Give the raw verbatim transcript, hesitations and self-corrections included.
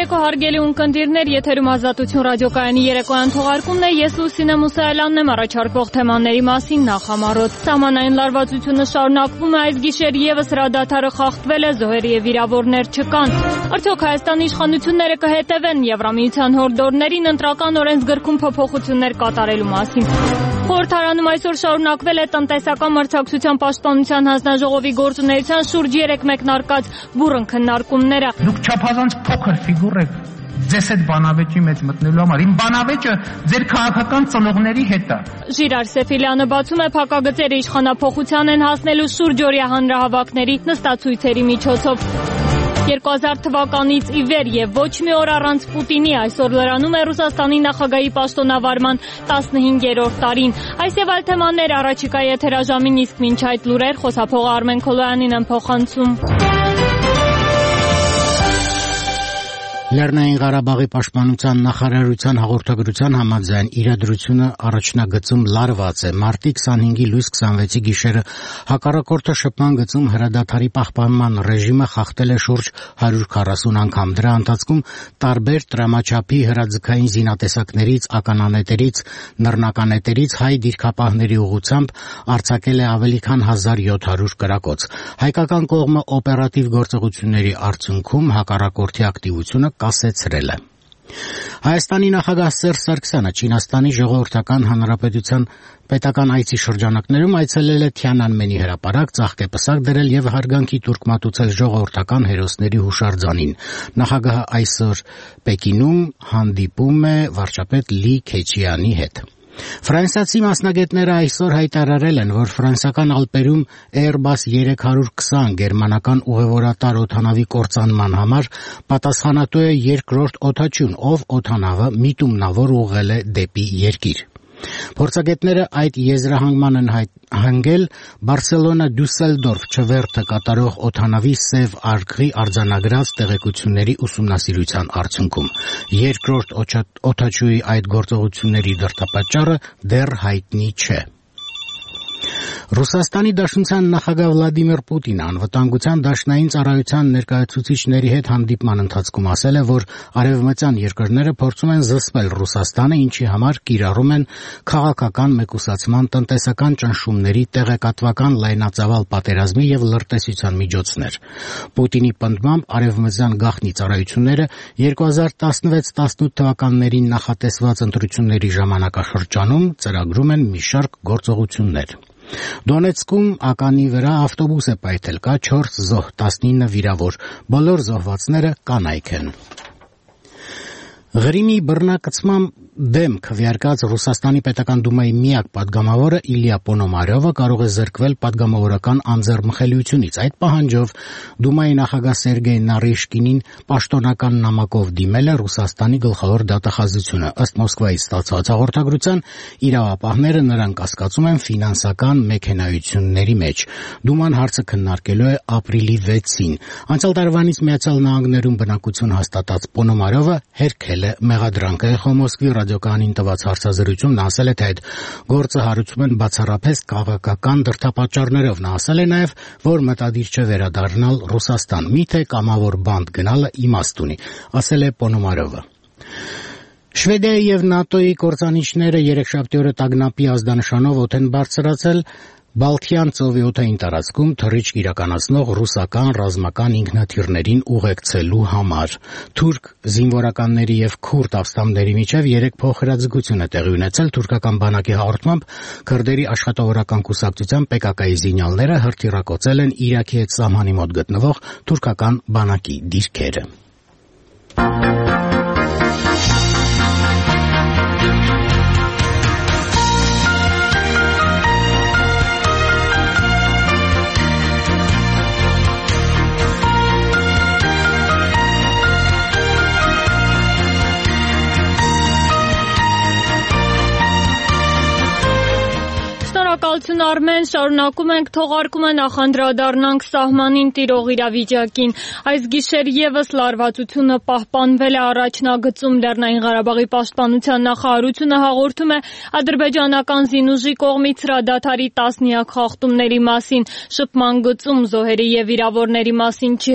երեկո հարգելի ունկնդիրներ, եթերում Ազատություն ռադիոկայանի երեկոյան թողարկումն է, ես Լուսինե Մուսայելյանն եմ, առաջարկվող թեմաների մասին նախամարոտ։ Սահմանային լարվածությունը շարունակվում է, այս գիշեր ևս հրադադարը խախտվել է, զոհեր եւ վիրավորներ չկան։ Արդյոք Հայաստանի իշխանությունները կհետևեն Եվրամիության հորդորներին ընտրական օրենսգրքում փոփոխություններ կատարելու մասին։ Խորհրդարանում այսօր շարունակվել է տնտեսական մրցակցության պաշտպանության հանձնաժողովի գործունեության շուրջ երեք մեկնարկած բուռն քննարկումները։ Դուք չափազանց փոքր ֆիգուր եք ձեզ այդ բանավեճի մեջ մտնելու համար։ Իմ բանավեճը ձեր քաղաքական ծնողների հետ է։ Ժիրար Սեֆիլյանը բացում է փակագծերը իշխանափոխության են հասնելու շուրջօրյա հանրահավաքների նստացույցերի միջոցով։ երկու հազար թվականից ի վեր եւ ոչ մի օր առանց Պուտինի այսօր լրանում է Ռուսաստանի նախագահի պաշտոնավարման տասնհինգերորդ տարին։ Այս եւ այլ թեմաներ առաջիկա եթերաժամին, իսկ մինչ այդ լուրեր խոսափողը Արմեն Քոլոյանին են փոխանցում։ Լեռնային Ղարաբաղի պաշտպանության նախարարության հաղորդագրության համաձայն իրադրությունը առաջնագծում լարված է։ Մարտի քսանհինգի լույս քսանվեցի գիշերը հակառակորդը շփման գծում հրադադարի պահպանման ռեժիմը խախտել է շուրջ հարյուր քառասուն անգամ։ Դրա ընթացքում տարբեր տրամաչափի հրաձգային զինատեսակներից, ականանետերից, նռնականետերից հայ դիրքապահների ուղղությամբ արձակել է ավելի քան հազար յոթ հարյուր կրակոց։ Հայկական կողմը օպերատիվ գործողությունների արդյունքում հակառակորդի ակտիվությունը կասեցրել է։ Հայաստանի նախագահ Սերժ Սարգսյանը Չինաստանի Ժողովրդական Հանրապետության պետական այցի շրջանակներում այցելել է Թիանանմենի հրապարակ, ծաղկեպսակ դրել եւ հարգանքի տուրք մատուցել ժողովրդական հերոսների հուշարձանին։ Նախագահը այսօր Պեկինում հանդիպում է վարչապետ Լի Քեչյանի հետ։ Ֆրանսիացի մասնագետները այսօր հայտարարել են, որ ֆրանսիական Ալպերում Airbus երեք հարյուր քսան գերմանական ուղևորատար օդանավի կործանման համար պատասխանատու է երկրորդ օդաչուն, ով օդանավը միտումնավոր ուղղել է դեպի երկիր։ Փորձագետները այդ եզրահանգման են հանգել Բարսելոնա Դյուսելդորֆ չվերթը կատարող օդանավի սև արգղի արձանագրած տեղեկությունների ուսումնասիրության արդյունքում։ Երկրորդ օդաչուի այդ գործողությունների դրդապատճառը դեռ հայտնի չէ։ Ռուսաստանի Դաշնության նախագահ Վլադիմիր Պուտինը անվտանգության դաշնային ծառայության ներկայացուցիչների հետ հանդիպման ընթացքում ասել է, որ արևմտյան երկրները փորձում են զսպել Ռուսաստանը, ինչի համար կիրառում են քաղաքական մեկուսացման, տնտեսական ճնշումների, տեղեկատվական լայնածավալ պատերազմի եւ լրտեսության միջոցներ։ Պուտինի պնդմամբ արևմտյան գաղտնի ծառայությունները երկու հազար տասնվեց տասնութ թվականներին նախատեսված ընտրությունների ժամանակաշրջանում ծրագրում են մի շարք գործողություններ։ Դոնեցկում ականի վրա ավտոբուս է պայթել, կա չորս զոհ, տասնինը վիրավոր, բոլոր զոհվածները կանայք են։ Ղրիմի բռնակցման դեմ քվեարկած Ռուսաստանի պետական դումայի միակ падգամավորը Իլյա Պոնոմարյովը կարող է զրկվել падգամավորական անձեռմխելիությունից։ Այդ պահանջով դումայի նախագահ Սերգեյ Նարիշկինին պաշտոնական նամակով դիմել է Ռուսաստանի գլխավոր դատախազությունը։ Ըստ Մոսկվայից ստացված հաղորդագրության իրավապահները նրան կասկածում են ֆինանսական մեքենայությունների մեջ։ Դուման հարցը քննարկելու է ապրիլի վեցին։ Անցյալ տարվանից Միացյալ Նահանգներում բնակություն հաստատած Պոնոմարյովը հերքել է մեղադրանքը։ Էխո Մոսկվի ռադիոկայանին տված հարցազրույցում նա ասել է, թե այդ գործը հարուցում են բացառապես քաղաքական դրդապատճառներով։ Նա ասել է նաև, որ մտադիր չէ վերադառնալ Ռուսաստան, միթե կամավոր բանտ գնալը իմաստ ունի, ասել է Պոնոմարյովը։ Շվեդիայի եւ ՆԱՏՕ-ի կործանիչները երեքշաբթի օրը տագնապի ազդանշանով օդ են բարձրացել Բալթյան ծովի օդային տարածքում թռիչք իրականացնող ռուսական ռազմական ինքնաթիռներին ուղեկցելու համար։ Թուրք զինվորականների եւ քուրդ ապստամբների միջև երեք փոխհրաձգություն է տեղի ունեցել։ Թուրքական բանակի հաղորդմամբ քրդերի աշխատավորական կուսակցության Պե Կա Կայի զինյալները հրթիռակոծել են Իրաքի հետ սահմանի մոտ գտնվող թուրքական բանակի դիրքերը։ Շնորհակալություն Արմեն, շարունակում ենք թողարկումը, նախանդրադառնանք սահմանին տիրող իրավիճակին։ Այս գիշեր ևս լարվածությունը պահպանվել է առաջնագծում։ Լեռնային Ղարաբաղի պաշտպանության նախարարությունը հաղորդում է ադրբեջանական զինուժի կողմից հրադադարի տասնյակ խախտումների մասին։ Շփման գծում զոհերի եւ վիրավորների մասին չի